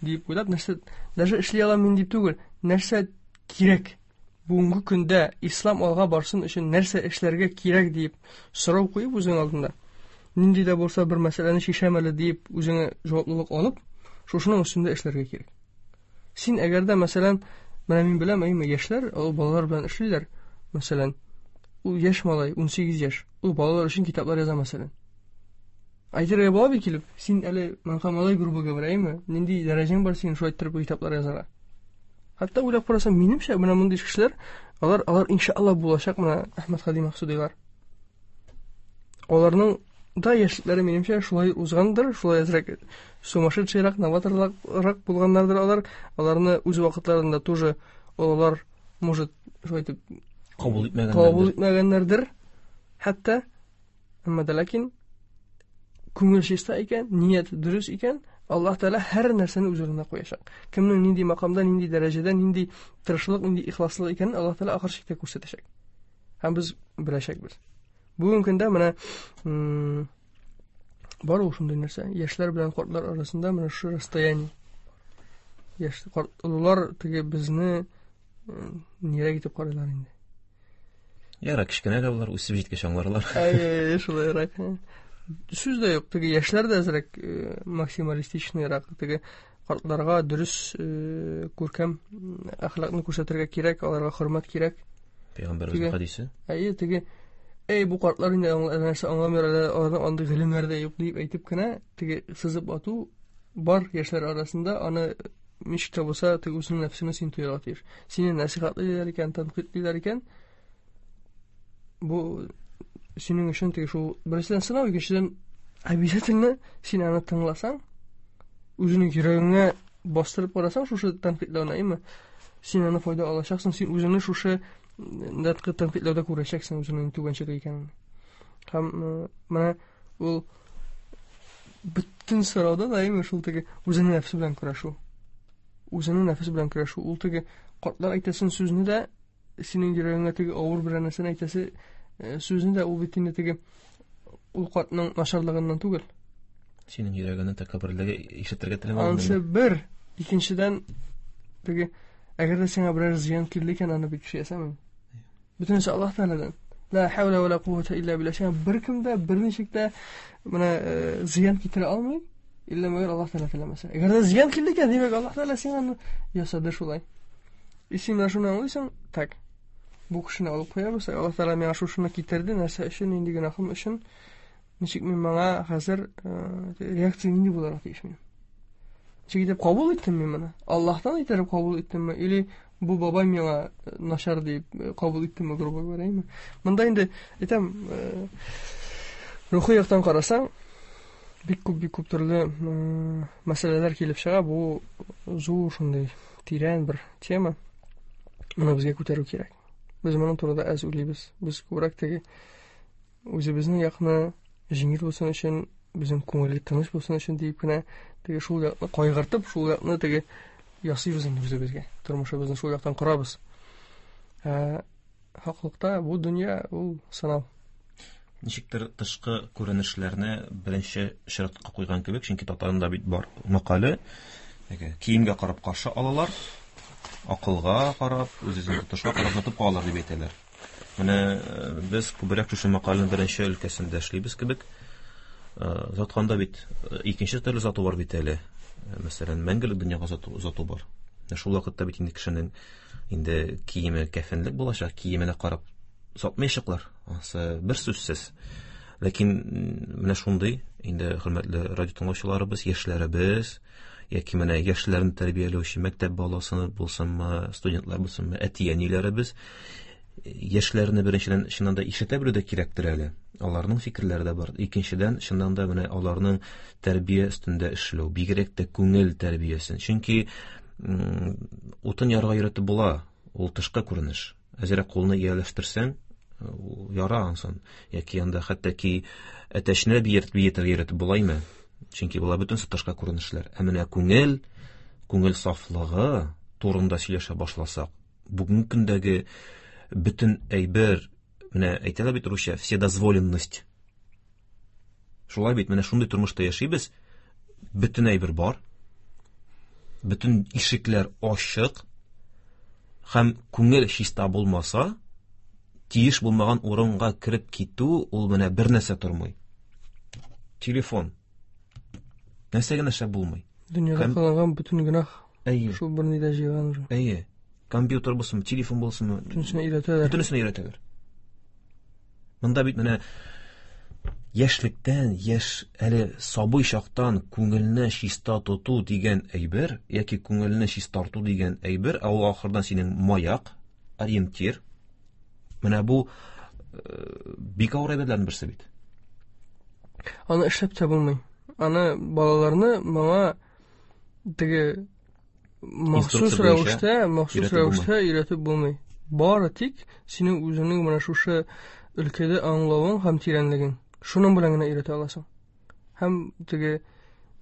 дип уйлап, нәрсә даже эшли алам мин дип түгел, нәрсә кирәк бүгенге көндә ислам алга барсын өчен нәрсә эшләргә кирәк дип сорау куеп үзең алдында, нинди дә булса бер мәсьәләне чишәм әле дип үзеңә җаваплылык алып, шушының өстендә эшләргә кирәк. Син әгәр дә, мәсәлән, менә мин беләм, әйме, яшьләр, ул балалар белән эшлиләр, мәсәлән, ул яшь малай, 18 яшь, ул балалар өчен китаплар яза, мәсәлән. Әйтергә була бит килеп, син әле маңка малай, грубо говоря, әйме, нинди дәрәҗәң бар синең шулай иттереп китаплар язарга? Хәтта уйлап карасам, минемчә, менә мондый кешеләр, алар иншалла булачак менә Әхмәд Хади Максудилар. Аларның да яшьлекләре минемчә шулай узгандыр, шулай әзрәк сумасшедшийрак, новаторрак булганнардыр алар. Аларны үз вакытларында тоже олылар, может, шулай итеп кабул итмәгәннәрдер. Кабул итмәгәннәрдер. Хәтта әмма дә ләкин күңел чиста икән, ният дөрес икән, Аллаһ Тәгалә һәр нәрсәне үз урынына куячак. Кемнең нинди макамда, нинди дәрәҗәдә, нинди тырышлык, нинди ихласлык икәнен Аллаһ Тәгалә ахыр чиктә күрсәтәчәк. Һәм без беләчәкбез. Бүгенге көндә менә бар ул шундый нәрсә. Яшьләр белән картлар арасында менә шушы расстояние. Яшь картлар теге безне нирәк итеп карыйлар инде. Яра, кечкенә дә булар, үсеп җиткәч аңларлар. Әй, шулайрак. Сүз дә юк, теге яшьләр дә әзрәк максималистичныйрак, теге картларга дөрес күркәм әхлакны күрсәтергә кирәк, аларга хөрмәт кирәк. Пәйгамбәребезнең хәдисе. Әйе, теге Эй, бу картлар инде нәрсә аңламыйлар, әле аларның андый гыйлемнәре дә юк дип әйтеп кенә, теге сызып ату бар яшьләр арасында, аны ничек тә булса теге үзеңнең нәфсеңне син тоярга тиеш. Сине нәсихатлыйлар икән, тәнкыйтьлиләр икән, бу синең өчен теге шул беренчедән сынау, икенчедән обязательно син аны тыңласаң, үзеңнең йөрәгеңә бастырып карасаң шушы тәнкыйтьләүне, әйме, син аны файда алачаксың, син үзеңне шушы тәнкыйтьләүдә күрәчәксең үзеңнең түбәнчелек икәнен. Һәм менә ул бөтен сорауда да әйме шул теге үзеңнең нәфесе белән көрәшү. Үзеңнең нәфесе белән көрәшү. Ул теге картлар әйтәсен сүзне дә синең йөрәгеңә теге авыр бер нәрсәне әйтәсе сүзне дә ул бит инде теге ул картның начарлыгыннан түгел. Синең йөрәгеңне тәкәбберлеге ишетергә теләмәдем. Анысы бер, икенчедән теге әгәр дә сиңа берәр зыян килде икән, аны бит кеше ясамый. Бөтенесе Аллаһ Тәгаләдән. Ла хаула ва ла куввата илля билла. Сиңа беркем дә, берничек тә менә зыян китерә алмый, илля мәгәр Аллаһ Тәгалә теләмәсә. Әгәр дә зыян килде икән, димәк Аллаһ Тәгалә сиңа аны ясады шулай. И син менә шуны аңлыйсың, так. Бу кешене алып куябыз, Аллаһ Тәгалә миңа шушыны китерде, нәрсә өчен, нинди гөнаһым өчен, ничек мин моңа хәзер реакция нинди булырга тиеш минем? Ничек итеп кабул иттем мин моны? Аллаһтан иттереп кабул иттемме, или бу бабай миңа начар дип кабул иттемме, грубо говоря, әйме? Монда инде әйтәм, рухи яктан карасаң, бик күп, бик күп төрле мәсьәләләр килеп чыга. Бу зур шундый тирән бер тема. Моны безгә күтәрү кирәк. Без моның турында әз уйлыйбыз. Без күбрәк теге үзебезнең якны җиңел булсын өчен, безнең күңел тыныч булсын өчен диеп кенә теге шул якны кайгыртып, шул якны теге ясыйбыз инде үзебезгә. Тормышыбызны шул яктан корабыз. Ә хаклыкта бу дөнья ул сынау. Ничектер тышкы күренешләрне беренче чиратка куйган кебек, чөнки татарында бит бар мәкале, теге киемгә карап каршы алалар, акылга карап, үз-үзен тотышка карап тотып калалар дип әйтәләр. Менә без күбрәк шушы мәкаләнең беренче өлкәсендә эшлибез кебек. Озатканда бит икенче төрле озату бар бит әле. Мәсәлән, мәңгелек дөньяга озату бар. Шул вакытта бит инде кешенең инде киеме кәфенлек булачак, киеменә карап озатмаячаклар. Анысы бер сүзсез. Ләкин менә шундый инде хөрмәтле радио тыңлаучыларыбыз, яшьләребез, яки менә яшьләрне тәрбияләүче мәктәп баласы булсынмы, студентлар булсынмы, әти-әниләребез яшьләрне беренчедән чыннан да ишетә белү дә кирәктер әле. Аларның фикерләре дә бар. Икенчедән, чыннан да менә аларның тәрбия өстендә эшләү, бигрәк тә күңел тәрбиясен. Чөнки утын ярга өйрәтеп була, ул тышкы күренеш. Әзрәк кулны ияләштерсәң, ул яра ансын. Яки анда хәтта ки әтәчне биетергә өйрәтеп булаймы? Чөнки була бөтенесе тышкы күренешләр. Ә менә күңел, күңел сафлыгы турында сөйләшә башласак, бүгенге көндәге бөтен әйбер, менә әйтәләр бит русча, вседозволенность. Шулай бит, менә шундый тормышта яшибез, бөтен әйбер бар, бөтен ишекләр ачык, һәм күңел чиста булмаса, тиеш булмаган урынга кереп китү, ул менә бер нәрсә тормый. Телефон. Нәрсә генә эшләп булмый. Дөньяда кылынган бөтен гөнаһ шул бер нидә җыелган уже. Әйе. Компьютер булсын, телефон булсын, бөтенесенә өйрәтәләр. Бөтенесенә өйрәтәләр. Монда бит менә яшьлектән, яшь әле сабый чактан күңелне чиста тоту дигән әйбер, яки күңелне чистарту дигән әйбер, ә ул ахырдан синең маяк, ориентир. Менә бу бик авыр әйберләрнең берсе бит. Аны эшләп тә булмый. Аны балаларны моңа теге махсус рәвештә, махсус рәвештә өйрәтеп булмый. Бары тик синең үзеңнең менә шушы өлкәдә аңлавың һәм тирәнлегең. Шуның белән генә өйрәтә аласың. Һәм теге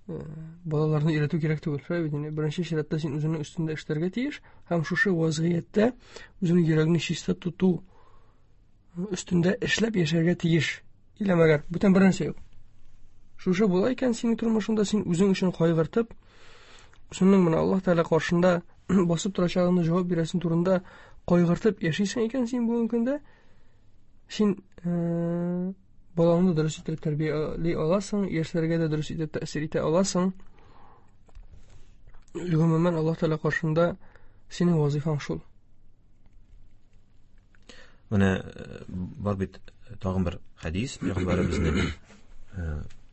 балаларны өйрәтү кирәк түгел. Шулай бит инде. Беренче чиратта син үзеңнең өстендә эшләргә тиеш һәм шушы вазгыятьтә үзеңнең йөрәгеңне чиста тоту өстендә эшләп яшәргә тиеш. Илә мәгәр бүтән бер нәрсә юк. Шушы була икән синең тормышыңда, син үзең өчен кайгыртып, үзеңнең менә Аллаһ Тәгалә каршында басып торачагыңны җавап бирәсең турында кайгыртып яшисең икән син бүгенге көндә, син балаңны дөрес итеп тәрбияли аласың, яшьләргә дә дөрес итеп тәэсир итә аласың. Гомумән, Аллаһ Тәгалә каршында синең вазифаң шул. Менә бар бит тагын бер хәдис, пәйгамбәребезнең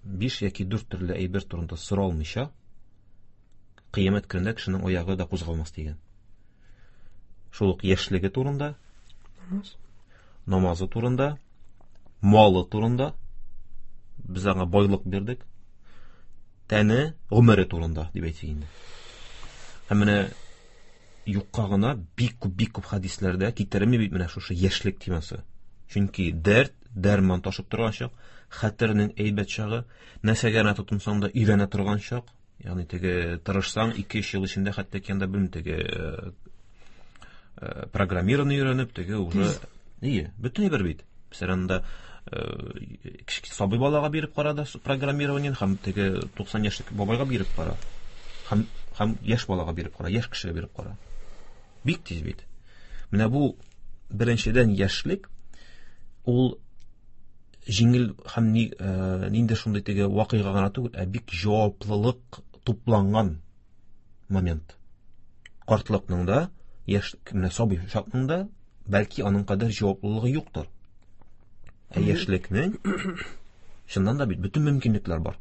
5 яки 4 төрле әйбер турында соралмыйча, кыямәт көнендә кешенең аягы да кузгалмас дигән. Шул ук яшьлеге турында, намазы турында, малы турында, без аңа байлык бирдек, тәне, гомере турында дип әйтик инде. Һәм менә юкка гына бик күп, бик күп хәдисләрдә китерелми бит менә шушы яшьлек темасы. Чөнки дәрт, дәрман ташып торган чак, хәтернең әйбәт чагы, нәрсәгә генә тотынсаң да өйрәнә торган чак. Ягъни теге тырышсаң 2-3 ел эчендә хәтта ки анда белмим теге программирование өйрәнеп, теге уже ие, бөтен әйбер бит. Мәсәлән, анда кечкенә сабый балага биреп кара да программирование һәм теге 90 яшьлек бабайга биреп кара. Һәм яшь балага биреп кара, яшь кешегә биреп кара. Бик тиз бит. Менә бу беренчедән яшьлек ул җиңел һәм нинди шундый теге вакыйга гына түгел, ә бик җаваплылык тупланган момент. Картлыкның да, яшь, менә сабый чакның да бәлки аның кадәр җаваплылыгы юктыр. Ә яшьлекнең чыннан да бит бөтен мөмкинлекләр бар.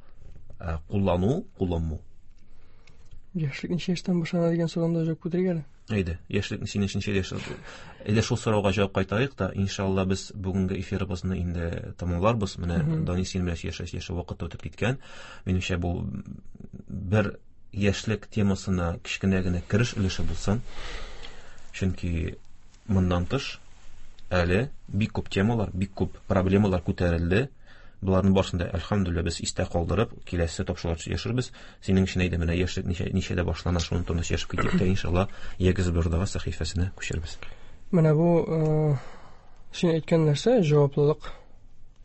Ә куллану, кулланмау. Яшьлек ничә яшьтән башлана дигән сорауны да җавап күтәрик әле. Әйдә, яшьлек синең ничә яшь? Әйдә шул сорауга җавап кайтарыйк та, иншалла без бүгенге эфирыбызны инде тәмамларбыз. Менә Данис синең белән яшә вакыт үтеп киткән. Минемчә бу бер яшьлек темасына кечкенә генә кереш өлеше булсын. Чөнки моннан тыш әле бик күп темалар, бик күп проблемалар күтәрелде. Буларның барысын да, әлхәмдүлилләһ, без истә калдырып, киләсе тапшырулар яшербез. Синең өчен әйдә, менә яшьлек ничәдә башлана, шуның турында сөйләшеп китик тә, иншалла, Ягез Бирдага сәхифәсенә күчербез. Менә бу син әйткән нәрсә, җаваплылык.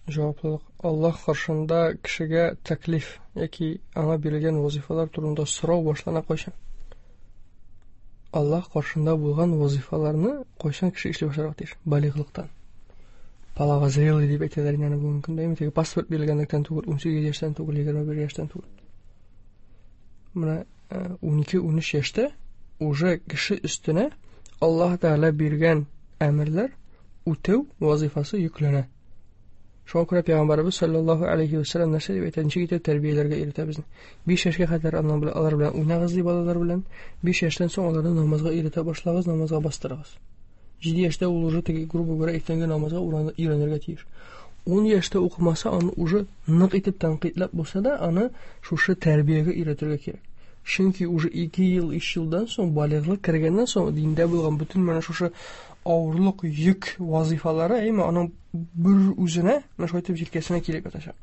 Җаваплылык. Аллаһ каршында кешегә тәклиф яки аңа бирелгән вазифалар турында сорау башлана кайчан? Аллаһ каршында булган вазифаларны кайчан кеше эшли башларга тиеш? Балигълыктан. Половозрелый дип әйтәләр инде аны бүгенге көндә. Әйме, теге паспорт бирелгәнлектән түгел, 18 яшьтән түгел, 21 яшьтән түгел. Менә 12-13 яшьтә уже кеше өстенә Аллаһ Тәгалә биргән әмерләр үтәү вазифасы йөкләнә. Шуңа күрә Пәйгамбәребез саллаллаһу алейхи ва саллям нәрсә дип әйтә? Ничек итеп тәрбияләргә өйрәтә безне? 5 яшькә кадәр аннан белән алар белән уйнагыз ди балалар белән. 5 яшьтән соң аларны намазга өйрәтә башлагыз, намазга бастырыгыз. 7 яшьтә ул уже теге, грубо говоря, иртәнге намазга өйрәнергә тиеш. 10 яшьтә укымаса, аны уже нык итеп тәнкыйтьләп булса да, аны шушы тәрбиягә өйрәтергә кирәк. Чөнки уже 2 ел, 3 елдан соң балигълык кергәннән соң диндә булган бөтен менә шушы авырлык, йөк вазифалары, әйме, аның бер үзенә, менә шулай итеп җилкәсенә килеп ятачак.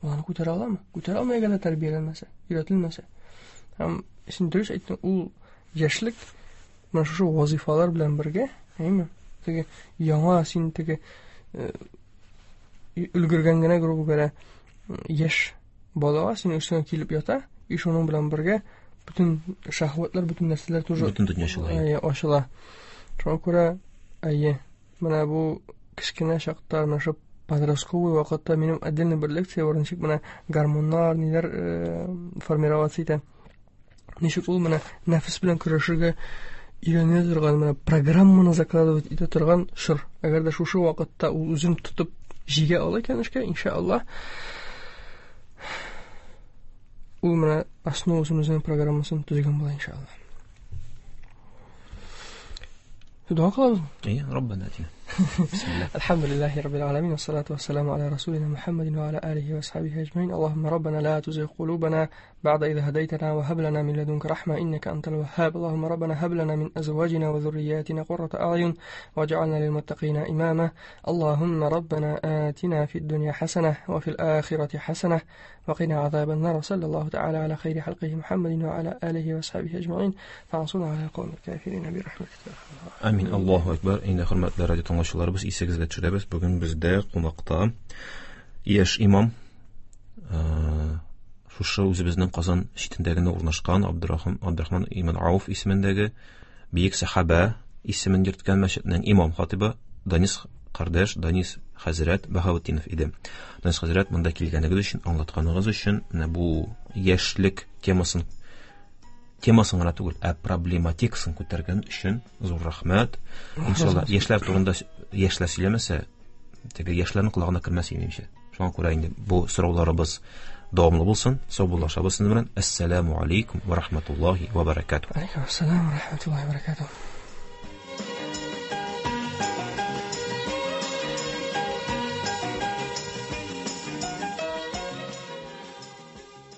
Ул аны күтәрә аламы? Күтәрә алмый, әгәр дә тәрбияләнмәсә, өйрәтелмәсә. Һәм син дөрес әйттең, ул яшьлек менә шушы вазифалар белән бергә, әйме, теге яңа син теге өлгергән генә, грубо говоря, яшь балага синең өстеңә килеп ята, и шуның белән бергә бөтен шәһвәтләр, бөтен нәрсәләр тоже бөтен дөнья ачыла. Әйе, ачыла. Шуңа күрә, әйе, менә бу кечкенә чакта, менә шул подростковый вакытта минем отдельный бер лекция бар, ничек менә гормоннар, ниләр формироваться итә. Ничек ул менә нәфес белән көрәшергә өйрәнә торган, менә программаны закладывать итә торган чор. Әгәр дә шушы вакытта ул үзен тотып җигә ала икән эшкә, иншаллаһ, ул менә основасын үзенең программасын төзегән була, иншаллаһ. Дога кылабызмы? Әйе, Раббана атина. Бисмилла. Алхамдулиллахи раббил аламин, вассалату вассаламу аля расулина Мухаммадин ва аля алихи ва асхабихи аджмаин. Аллахумма раббана ла тузигh кулубана بعد إذ هديتنا وهب لنا من لدنك رحمة إنك أنت الوهاب. اللهم ربنا هب لنا من أزواجنا وذرياتنا قرة أعين واجعلنا للمتقين إماما. اللهم ربنا آتنا في الدنيا حسنة وفي الآخرة حسنة وقنا عذاب النار. صلى الله تعالى على خير حلقه محمد وعلى آله وصحبه أجمعين فانصرنا على القوم الكافرين برحمتك. Амин. Аллаһу акбар. Инде хөрмәтле радио тыңлаучыларыбыз, исегезгә төшерәбез. Бүген бездә кунакта яшь имам, шушы үзебезнең Казан читендә генә урнашкан Абдурахман ибн Ауф исемендәге бөек сахаба исемен йөрткән мәчетнең имам хатибы Данис кардәш, Данис хәзрәт Баһаутдинов иде. Данис хәзрәт, монда килгәнегез өчен, аңлатканыгыз өчен, менә бу яшьлек темасын гына түгел, ә проблематикасын күтәргән өчен зур рәхмәт. Иншалла, яшьләр турында яшьләр сөйләмәсә, теге яшьләрнең колагына кермәс минемчә. Шуңа күрә инде бу сорауларыбыз дәвамлы булсын. Саубуллашабыз сезнең белән. Әссәламу алейкум ва рахматуллахи ва баракатух. Алейкум ассалам ва рахматуллахи ва баракатух.